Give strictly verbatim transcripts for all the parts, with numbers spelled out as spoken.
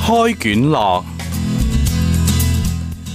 開卷樂，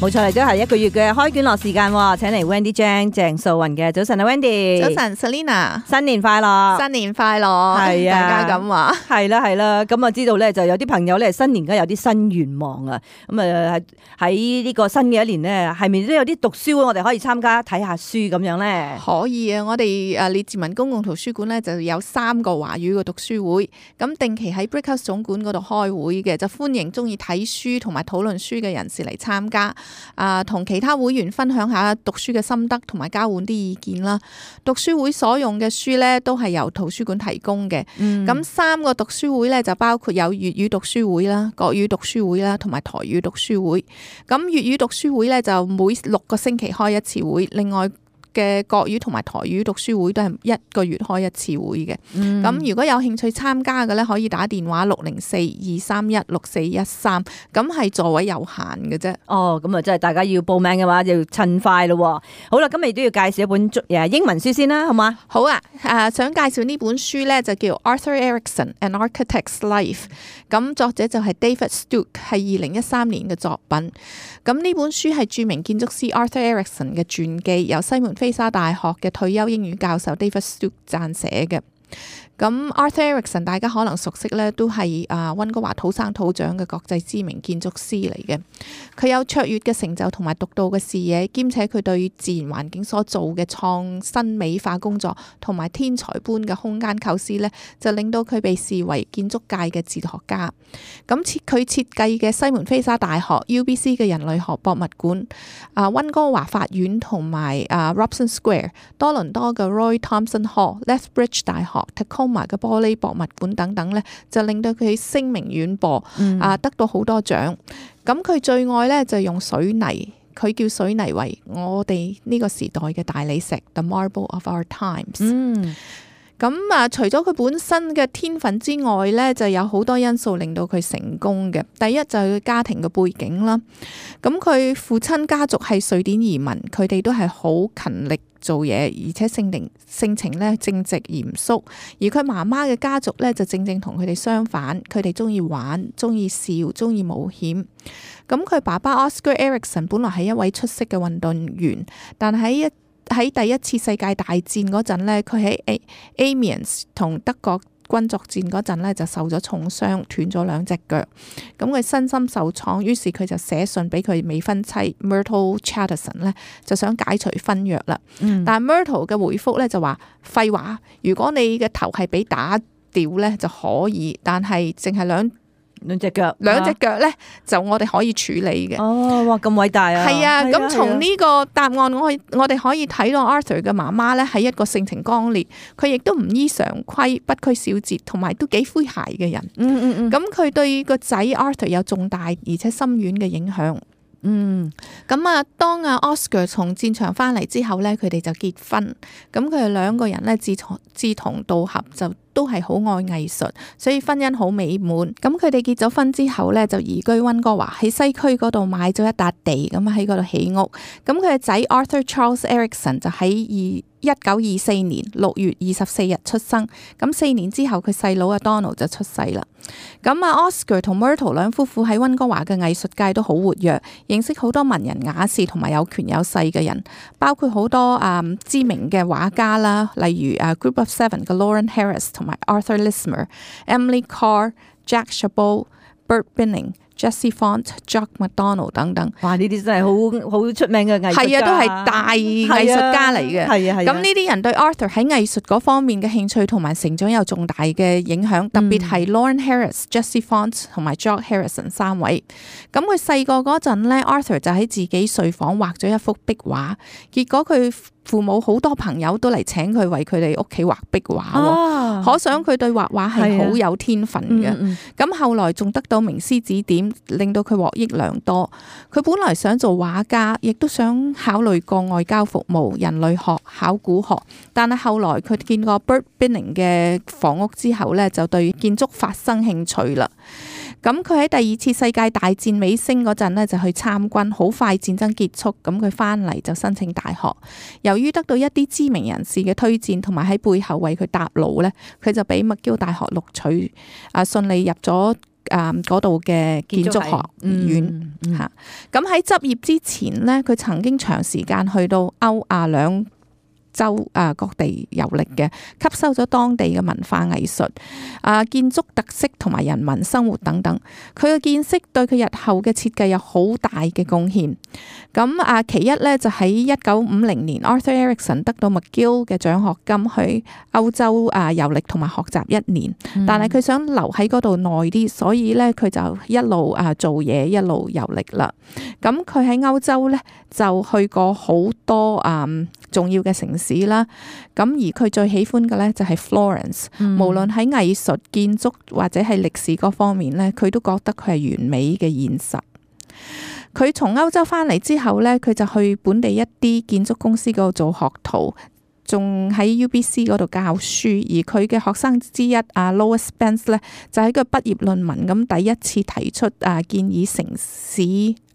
冇錯，嚟咗係一個月嘅開卷樂時間喎，請嚟 Wendy Chang 鄭素雲嘅。早晨啊 Wendy，早晨 Selina，新年快樂，新年快樂，係啊，大家咁話，係啦係啦，咁啊知道咧就有啲朋友咧新年梗係有啲新願望啊，咁啊喺呢個新嘅一年咧，係咪都有啲讀書會我哋可以參加睇下書咁樣咧？可以啊，我哋誒列治文公共圖書館咧就有三個華語嘅讀書會，咁定期喺 Brickhouse 總館嗰度開會嘅，就歡迎中意睇書同埋討論書嘅人士嚟參加。啊，同其他會員分享下讀書嘅心得，同埋交換啲意見啦。讀書會所用嘅書咧，都係由圖書館提供嘅。咁、嗯、三個讀書會咧，就包括有粵語讀書會啦、國語讀書會啦，同埋台語讀書會。咁粵語讀書會咧，就每六個星期開一次會，另外嘅國語同埋台語讀書會都係一個月開一次會嘅。咁、嗯、如果有興趣參加嘅咧，可以打電話六零四二三一六四一三，咁係座位有限嘅啫。哦，咁啊，即係大家要報名嘅話，就要趁快咯。好啦，咁你都要介紹一本誒英文書先啦，好嘛？好啊，誒想介紹呢本書咧，就叫 Arthur Erickson An Architect's Life。咁作者就係 David Stooke，係二零一三年嘅作品。咁呢本書係著名建築師 Arthur Erickson 嘅傳記，由西門菲沙大學嘅退休英語教授 David Stooke 撰寫嘅。咁 Arthur Erickson 大家可能熟悉咧，都係啊溫哥華土生土長嘅國際知名建築師嚟嘅。佢有卓越嘅成就同埋獨到嘅視野，兼且佢對自然環境所做嘅創新美化工作同埋天才般嘅空間構思咧，就令到佢被視為建築界嘅哲學家。咁設佢設計嘅西門菲沙大學 U B C 嘅人類學博物館、啊溫哥華法院同埋啊 Robson Square、多倫多嘅 Roy Thomson Hall、Lethbridge 大學、Tacoma嘅玻璃博物館等等咧，就令到佢聲名遠播，嗯、啊得到好多獎。咁佢最愛咧就用水泥，佢叫水泥為我哋呢個時代嘅大理石 ，The Marble of Our Times。嗯咁啊，除咗佢本身嘅天分之外咧，就有好多因素令到佢成功嘅。第一就係佢家庭嘅背景啦。咁佢父親家族係瑞典移民，佢哋都係好勤力做嘢，而且性定性情咧正直嚴肅。而佢媽媽嘅家族咧就正正同佢哋相反，佢哋中意玩、中意笑、中意冒險。咁佢爸爸 Oscar Erickson 本來係一位出色嘅運動員，但喺一喺第一次世界大戰嗰陣咧，佢喺 Amiens 同德國軍作戰嗰陣咧就受咗重傷，斷咗兩隻腳。咁佢身心受創，於是佢就寫信俾佢未婚妻 Myrtle Chatterson 咧，就想解除婚約啦。嗯、但係 Myrtle 嘅回覆咧就話：廢話，如果你嘅頭係俾打掉咧就可以，但係淨係兩兩隻腳，兩隻腳咧就我哋可以處理嘅。哦，哇，咁偉大啊！係啊，咁從呢個答案，我我哋可以睇到 Arthur 嘅媽媽咧係一個性情剛烈，佢亦都唔依常規、不拘小節，同埋都幾詼諧嘅人。嗯嗯嗯。咁佢對個仔 Arthur 有重大而且深遠嘅影響。嗯，咁啊，當阿 Oscar 從戰場翻嚟之後咧，佢哋就結婚。咁佢哋兩個人咧志同志同道合，就都係好愛藝術，所以婚姻好美滿。咁佢哋結咗婚之後咧，就移居溫哥華，喺西區嗰度買咗一笪地，咁喺嗰度起屋。咁佢嘅仔 Arthur Charles Erickson 就喺二一九二四年六月二十四日出生。咁四年之後，佢細佬阿 Donald 就出世啦。咁啊 Oscar 同 Myrtle 兩夫婦喺溫哥華嘅藝術界都好活躍，認識好多文人雅士同埋有權有勢嘅人，包括好多啊、嗯、知名嘅畫家啦，例如啊 Group of Seven 嘅 Lauren Harris 同埋 Arthur Lismer、Emily Carr、Jack Chabot、Bert Binning、Jesse Font、Jock McDonald 等等。哇！呢啲真係好好出名嘅藝術家，係啊，都係大藝術家嚟嘅。係啊，係。咁呢啲人對 Arthur 喺藝術嗰方面嘅興趣同埋成長有重大嘅影響，特別係 Lauren Harris、Jesse Font 同埋 Jock Harrison 三位。咁佢細個嗰陣咧 ，Arthur 就喺自己睡房畫咗一幅壁畫，結果佢父母好多朋友都嚟請佢為佢哋屋企畫壁畫，啊、可想佢對畫畫係好有天分嘅。咁、嗯嗯、後來仲得到名師指點，令到佢獲益良多。佢本來想做畫家，亦都想考慮過外交服務、人類學、考古學，但係後來佢見過 Bert Binning 嘅房屋之後咧，就對建築發生興趣啦。咁佢喺第二次世界大戰尾聲嗰陣咧，就去參軍，好快戰爭結束，咁佢翻嚟就申請大學。由於得到一啲知名人士嘅推薦，同埋喺背後為佢搭路咧，佢就俾麥基大學錄取，啊順利入咗誒嗰度嘅建築學院嚇。咁喺執業之前咧，佢曾經長時間去到歐亞兩洲啊各地遊歷嘅，吸收咗當地嘅文化藝術、啊建築特色同埋人民生活等等。佢嘅見識對佢日後嘅設計有好大嘅貢獻。咁啊，其一咧就喺一九五零年 ，Arthur Erickson 得到 McGill 嘅獎學金去歐洲啊遊歷同埋學習一年，嗯但係佢想留喺嗰度耐啲，所以咧佢就一路啊做嘢，一路遊歷啦。咁佢喺歐洲咧就去過好多啊重要嘅城市啦。咁而佢最喜歡嘅咧就係 Florence，嗯無論喺藝術、建築或者係歷史嗰方面咧，佢都覺得佢係完美嘅現實。佢從歐洲翻嚟之後咧，佢就去本地一啲建築公司嗰度做學徒，仲喺 U B C 嗰度教書。而佢嘅學生之一啊 Lois Spence 咧，就喺佢畢業論文咁第一次提出啊建議城市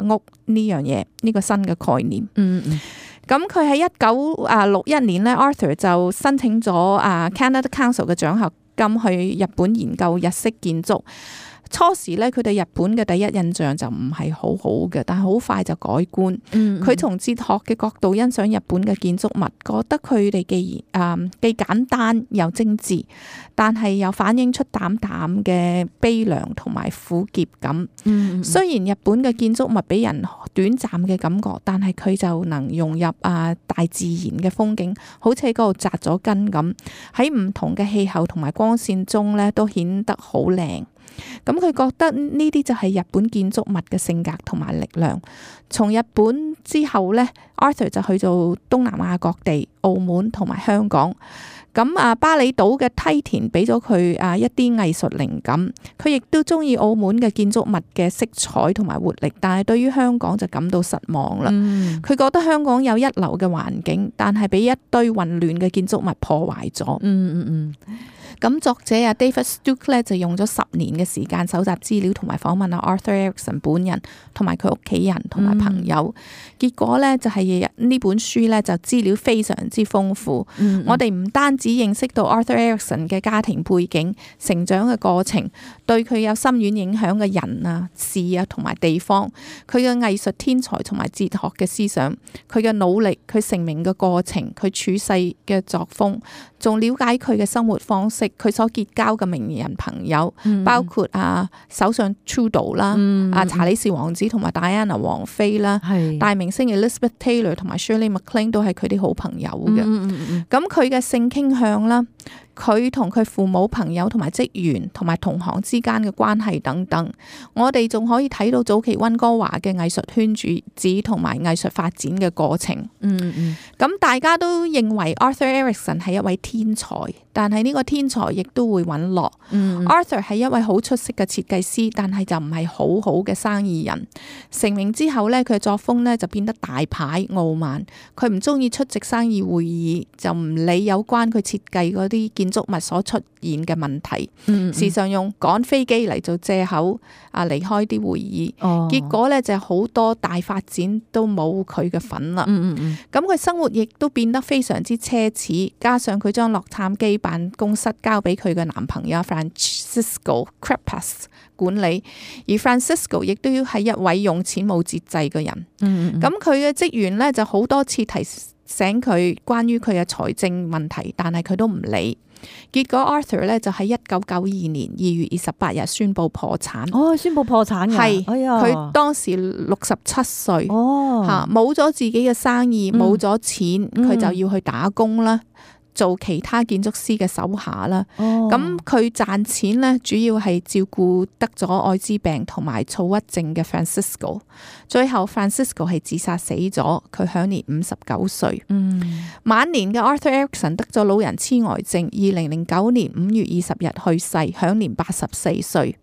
屋呢樣嘢，呢個新嘅概念。嗯嗯。咁佢喺一九啊六一年咧 ，Arthur 就申請咗啊 Canada Council 嘅獎學金去日本研究日式建築。初時咧，佢對日本嘅第一印象就唔係好好嘅，但係好快就改觀。佢從哲學嘅角度欣賞日本嘅建築物，覺得佢哋既然誒既簡單又精緻，但係又反映出淡淡嘅悲涼同埋苦澀感。嗯嗯、雖然日本嘅建築物俾人短暫嘅感覺，但係佢就能融入啊大自然嘅風景，好似喺嗰度紮咗根咁，喺唔同嘅氣候同埋光線中咧，都顯得好靚。咁佢覺得呢啲就係日本建築物嘅性格同埋力量。從日本之後呢 Arthur 就去做東南亞各地、澳門同埋香港。咁啊，巴厘島嘅梯田俾咗佢啊一啲藝術靈感。佢亦都中意澳門嘅建築物嘅色彩同埋活力，但係對於香港就感到失望啦。佢、嗯、覺得香港有一流嘅環境，但係俾一堆混亂嘅建築物破壞咗。嗯嗯嗯。咁作者啊 David Stuck 咧就用咗十年嘅時間搜集資料同埋訪問啊 Arthur Erickson 本人同埋佢屋企人同埋朋友，嗯、結果咧就係呢本書咧就資料非常之豐富。嗯嗯我哋唔單止認識到 Arthur Erickson 嘅家庭背景、成長嘅過程，對佢有深遠影響嘅人啊、事啊同埋地方，佢嘅藝術天才同埋哲學嘅思想，佢嘅努力、佢成名嘅過程、佢處世嘅作風，仲了解佢嘅生活方式。佢所結交嘅名人朋友，嗯、包括啊首相 Trudeau 啦、嗯，啊查理士王子同埋戴安娜王妃啦，是大明星 Elizabeth Taylor 同埋 Shirley MacLaine 都係佢啲好朋友嘅。咁佢嘅性傾向啦，佢同佢父母、朋友同埋職員同埋同行之間嘅關係等等，我哋仲可以睇到早期溫哥華嘅藝術圈子同埋藝術發展嘅過程。嗯嗯，咁大家都認為 Arthur Erickson 係一位天才，但係呢個天才亦都會隕落。嗯、Arthur 係一位好出色嘅設計師，但係就唔係好好嘅生意人。成名之後呢，佢嘅作風呢就變得大牌傲慢，佢唔中意出席生意會議，就唔理有關佢設計嗰啲建築物所出現嘅問題，嗯嗯時常用趕飛機嚟做借口啊離開啲會議。哦、結果呢，就好多大發展都冇佢嘅份啦。嗯嗯咁佢生活亦都變得非常之奢侈，加上佢將洛杉磯辦公室交俾佢嘅男朋友 Francisco Crepas 管理，而 Francisco 亦都要係一位用錢冇節制嘅人。嗯咁佢嘅職員呢，就好多次提醒佢關於佢嘅財政問題，但係佢都唔理。結果 Arthur 咧就喺一九九二年二月二十八日宣布破產。哦，宣布破產嘅係，佢、哎、當時六十七歲。哦，吓冇咗自己嘅生意，冇咗、嗯、錢，佢就要去打工啦。做其他建築師嘅手下啦，咁佢賺錢咧，主要係照顧得咗愛滋病同埋躁鬱症嘅 Francisco。最後 Francisco 係自殺死咗，佢享年五十九歲。嗯，晚年嘅 Arthur Erickson 得咗老人痴呆症，二零零九年五月二十日去世，享年八十四歲。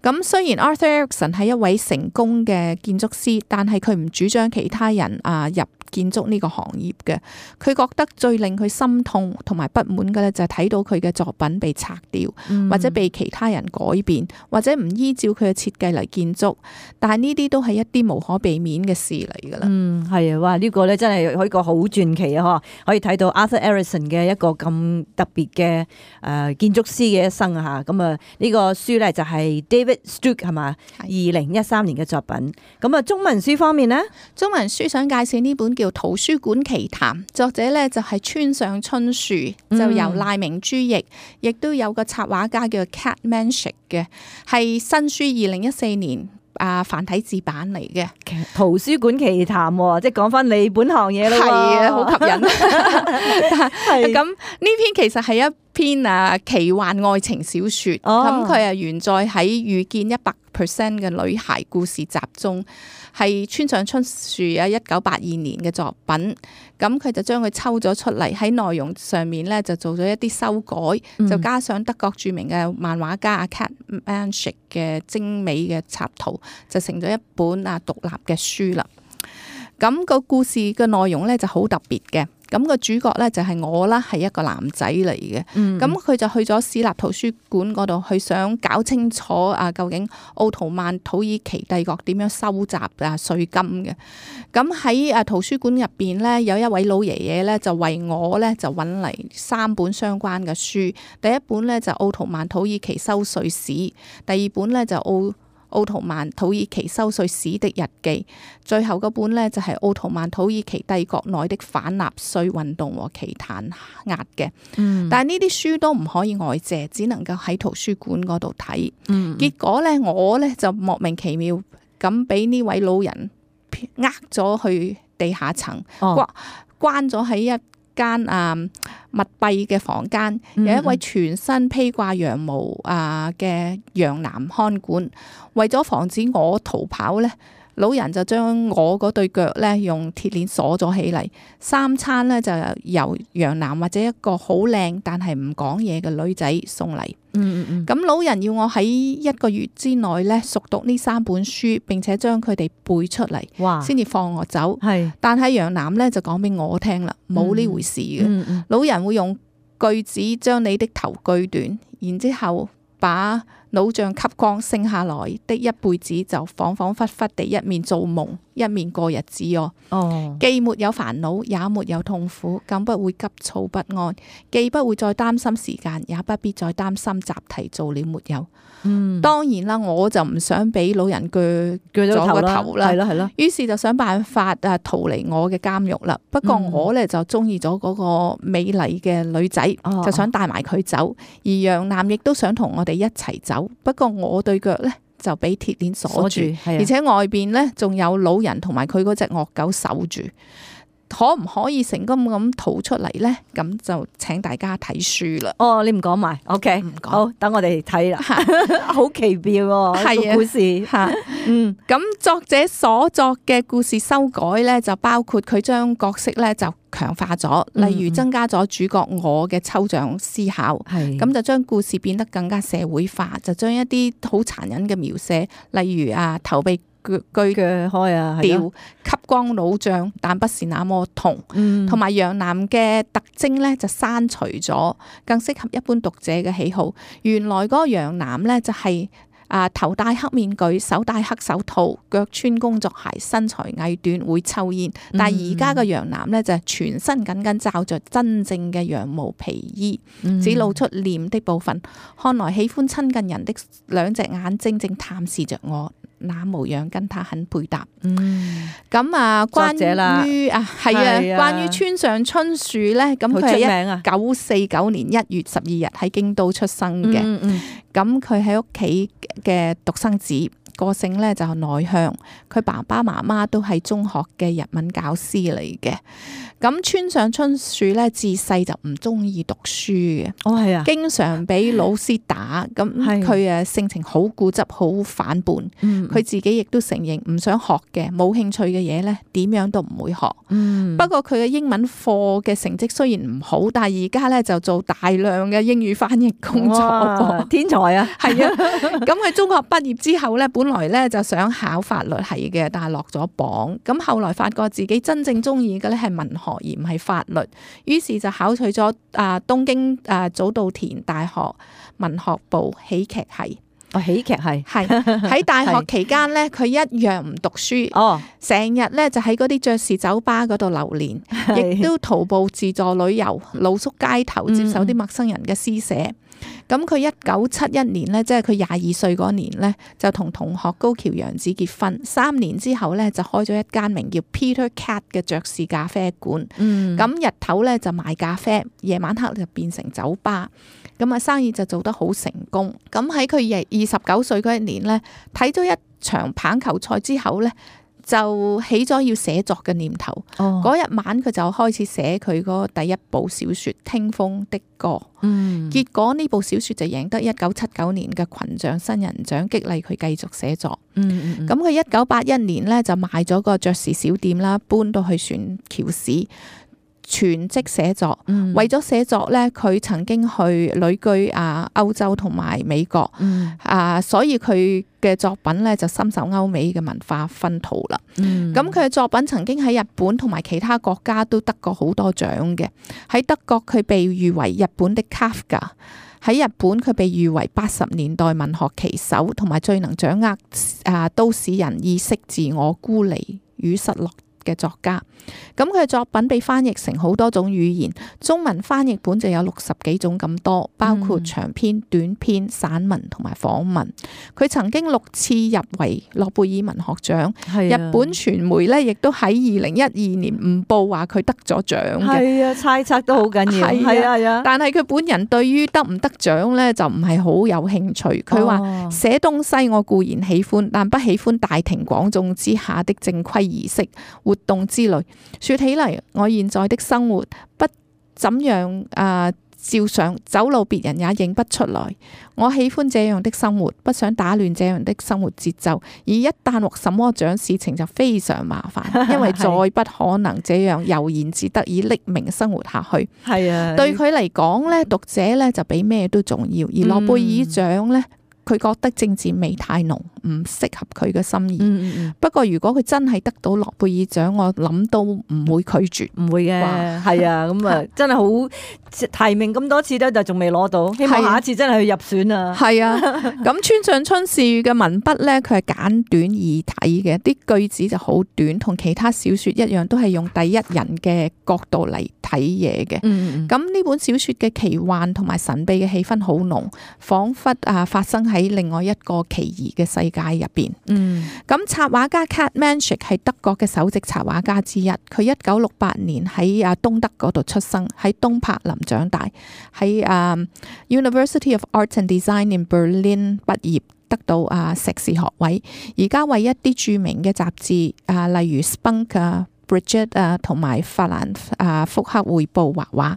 咁雖然 Arthur Erickson 係一位成功嘅建築師，但係佢唔主張其他人啊入建築呢個行業嘅。佢覺得最令佢心痛同埋不滿嘅咧，就係睇到佢嘅作品被拆掉，嗯、或者被其他人改變，或者唔依照佢嘅設計嚟建築。但係呢啲都係一啲無可避免嘅事嚟噶啦。嗯，係啊，哇！呢、這個咧真係一個好傳奇啊，嗬！可以睇到 Arthur Erickson 嘅一個咁特別嘅誒建築師嘅一生啊，吓咁啊！呢個書咧就係 David David Stewart 係嘛？二零一三年嘅作品。咁啊，中文書方面呢？中文書想介紹呢本叫《圖書館奇談》，作者呢就係村上春樹，就由賴明珠譯，亦都有個插畫家叫 Cat Manshik 嘅，係新書二零一四年啊繁體字版嚟嘅。圖書館奇談，即係講翻你本行嘢咯。係啊，好吸引。咁呢篇其實係一篇啊奇幻愛情小說，咁佢係原載喺《遇見一百 percent 嘅女孩》故事集中，係村上春樹啊一九八二年嘅作品。咁佢就將佢抽咗出嚟，喺內容上面咧就做咗一啲修改，嗯、就加上德國著名嘅漫畫家阿 Cat Manshik 嘅精美嘅插圖，就成咗一本啊獨立嘅書啦。咁、個故事嘅內容咧就好特別嘅。咁個主角咧就係我啦，係一個男仔嚟嘅。咁佢、嗯、就去咗市立圖書館嗰度，去想搞清楚啊，究竟奧圖曼土耳其帝國點樣收集啊稅金嘅。咁喺啊圖書館入邊咧，有一位老爺爺咧，就為我咧就揾嚟三本相關嘅書。第一本咧就奧圖曼土耳其收稅史，第二本咧就奧奧圖曼土耳其收稅史的日記，最後嗰本呢，就係奧圖曼土耳其帝國內的反納稅運動和其彈壓嘅。嗯、但係呢啲書都唔可以外借，只能夠喺圖書館嗰度睇。嗯、結果呢，我呢就莫名其妙咁俾呢位老人呃咗去地下層，關關咗喺一間啊密閉嘅房間，有一位全身披掛羊毛啊嘅洋男看管，為咗防止我逃跑咧，老人就將我嗰對腳咧用鐵鏈鎖咗起嚟，三餐咧就由洋男或者一個好靚但係唔講嘢嘅女仔送嚟。嗯嗯嗯。咁老人要我喺一個月之內咧熟讀呢三本書，並且將佢哋背出嚟，哇，先至放我走。係。但係洋男咧就講俾我聽啦，冇呢回事嘅。嗯嗯。老人會用鋸子將你的頭鋸斷，然之後把腦脹吸光，剩下來的一輩子就恍恍惚惚地一面做夢，一面過日子哦。哦，既沒有煩惱，也沒有痛苦，更不會急躁不安，既不會再擔心時間，也不必再擔心習題做了沒有。嗯，當然啦，我就唔想俾老人鋸鋸咗個頭啦，係咯係咯。於是就想辦法啊逃離我嘅監獄啦。不過我咧就中意咗嗰個美麗嘅女仔，嗯、就想帶埋佢走，而楊男亦都想同我哋一齊走。不過我對腳咧就俾鐵鏈鎖住，而且外邊咧仲有老人同埋佢嗰隻惡狗守住。可唔可以成功咁逃出嚟咧？咁就請大家睇書啦。哦，你唔講埋 ，OK，唔講，好，等我哋睇啦。好奇妙喎，係啊，故事吓，嗯，咁作者所作嘅故事修改咧，就包括佢將角色咧就強化咗，例如增加咗主角我嘅抽象思考，係咁、嗯、就將故事變得更加社會化，就將一啲好殘忍嘅描寫，例如啊頭被鋸鋸開啊，掉吸光腦脹，但不是那麼痛，同埋楊男嘅特徵咧就刪除咗，更適合一般讀者嘅喜好。原來嗰個楊男咧就係、是。啊！頭戴黑面具，手戴黑手套，腳穿工作鞋，身材矮短，會抽煙。但係而家嘅楊男咧就係全身緊緊罩着真正嘅羊毛皮衣，嗯、只露出臉的部分。看來喜歡親近人的兩隻眼睛正探視着我，那模樣跟他很配搭。嗯，咁啊，關於啊係啊，關於村上春樹咧，咁佢係一九四九年一月十二日喺京都出生嘅。嗯嗯咁佢喺屋企嘅獨生子，個性咧就內向，佢爸爸媽媽都係中學嘅日文教師嚟嘅。咁村上春樹咧自細就唔中意讀書嘅，哦係啊，經常俾老師打，咁佢誒性情好固執，好反叛。佢、嗯、自己亦都承認唔想學嘅，冇興趣嘅嘢咧，點樣都唔會學。嗯、不過佢嘅英文課嘅成績雖然唔好，但係而家咧就做大量嘅英語翻譯工作。天才啊！係啊，咁佢中學畢業之後咧，本來咧就想考法律系嘅，但係落咗榜。咁後來發覺自己真正中意嘅咧係文學而唔係法律，於是就考取咗啊東京啊早稻田大學文學部喜劇系。哦，喜劇系係喺大學期間咧，佢一樣唔讀書，哦，成日咧就喺嗰啲爵士酒吧嗰度流連，亦都徒步自助旅遊，露宿街頭，接受啲陌生人嘅施捨。咁佢一九七一年咧，即係佢廿二歲嗰年咧，就同同學高橋洋子結婚。三年之後咧，就開咗一間名叫 Peter Cat 嘅爵士咖啡館。嗯，咁日頭咧就賣咖啡，夜晚黑就變成酒吧。咁啊，生意就做得好成功。咁喺佢二二十九歲嗰一年咧，睇咗一場棒球賽之後咧，就起咗要寫作嘅念頭。嗰日、哦、晚佢就開始寫佢嗰第一部小說《聽風的歌》。嗯，結果呢部小說就贏得一九七九年嘅群像新人獎，激勵佢繼續寫作。嗯嗯，咁佢一九八一年咧就賣咗個爵士小店啦，搬到去船橋市。全職寫作，嗯、為咗寫作咧，佢曾經去旅居啊歐洲同埋美國，嗯、啊，所以佢嘅作品咧就深受歐美嘅文化熏陶啦。咁佢嘅作品曾經喺日本同埋其他國家都得過好多獎嘅。喺德國佢被譽為日本的 Kafka， 喺日本佢被譽為八十年代文學旗手，同埋最能掌握啊都市人意識、自我孤離與失落嘅作家。咁佢嘅作品被翻譯成好多種語言，中文翻譯本就有六十幾種咁多，包括長篇、短篇、散文同埋訪問。佢曾經六次入圍諾貝爾文學獎，啊、日本傳媒咧亦都喺二零一二年誤報話佢得咗獎嘅。係啊，猜測都好緊要。係啊係啊，但係佢本人對於得唔得獎咧就唔係好有興趣。佢話寫東西我固然喜歡，但不喜歡大庭廣眾之下的正規儀式活動之類。說起嚟，我現在的生活不怎樣啊，照常走路，別人也認不出來。我喜歡這樣的生活，不想打亂這樣的生活節奏。而一旦獲什麼獎，事情就非常麻煩，因為再不可能這樣悠然自得以匿名生活下去。係啊，對佢嚟講咧，讀者咧就比咩都重要。而諾貝爾獎咧，佢覺得政治味太濃，唔適合佢嘅心意。嗯嗯，不過如果佢真係得到諾貝爾獎，我諗都唔會拒絕，唔會嘅。係啊，咁啊，真係好提名咁多次咧，就仲未攞到，希望下一次真係去入選啊。係啊，咁村上春樹嘅文筆咧，佢係簡短易睇嘅，啲句子就好短，同其他小說一樣，都係用第一人嘅角度嚟睇嘢嘅。嗯嗯，咁呢本小說嘅奇幻同埋神秘嘅氣氛好濃，仿佛啊發生喺另外一個奇異嘅世界入邊。嗯，咁插畫家 Kat Manshik 係德國嘅首席插畫家之一。佢一九六八年喺啊東德嗰度出生，喺東柏林長大，喺啊 University of Art and Design in Berlin 畢業，得到啊碩士學位。而家為一啲著名嘅雜誌啊，例如 Spunk 啊、Bridget 啊同埋法蘭啊福克匯報畫畫，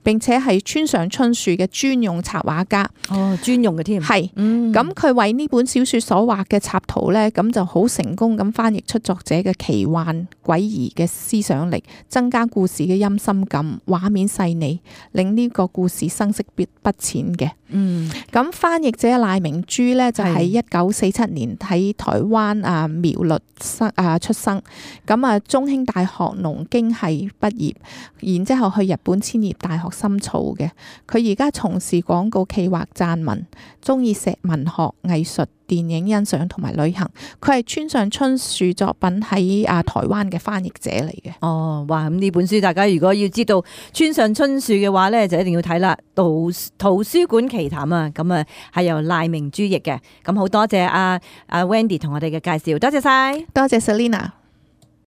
並且係村上春樹嘅專用插畫家。哦，專用嘅添。係是，咁佢、嗯、為呢本小說所畫嘅插圖咧，咁就好成功咁翻譯出作者嘅奇幻詭異嘅思想力，增加故事嘅陰森感，畫面細膩，令呢個故事生色不不淺嘅。嗯，咁翻譯者賴明珠咧就喺一九四七年喺台灣啊苗栗生啊出生，咁啊中興大學農經系畢業，然之後去日本千葉大學深造嘅。佢而家從事廣告企劃撰文，中意寫文學、藝術、電影欣賞同埋旅行。佢係村上春樹作品喺啊台灣嘅翻譯者嚟嘅。哦，哇！咁呢本書大家如果要知道村上春樹嘅話咧，就一定要睇啦。圖圖書館奇談啊，咁啊係由賴明珠譯嘅。咁好多謝阿阿 Wendy 同我哋嘅介紹，多謝晒，多謝 Selina。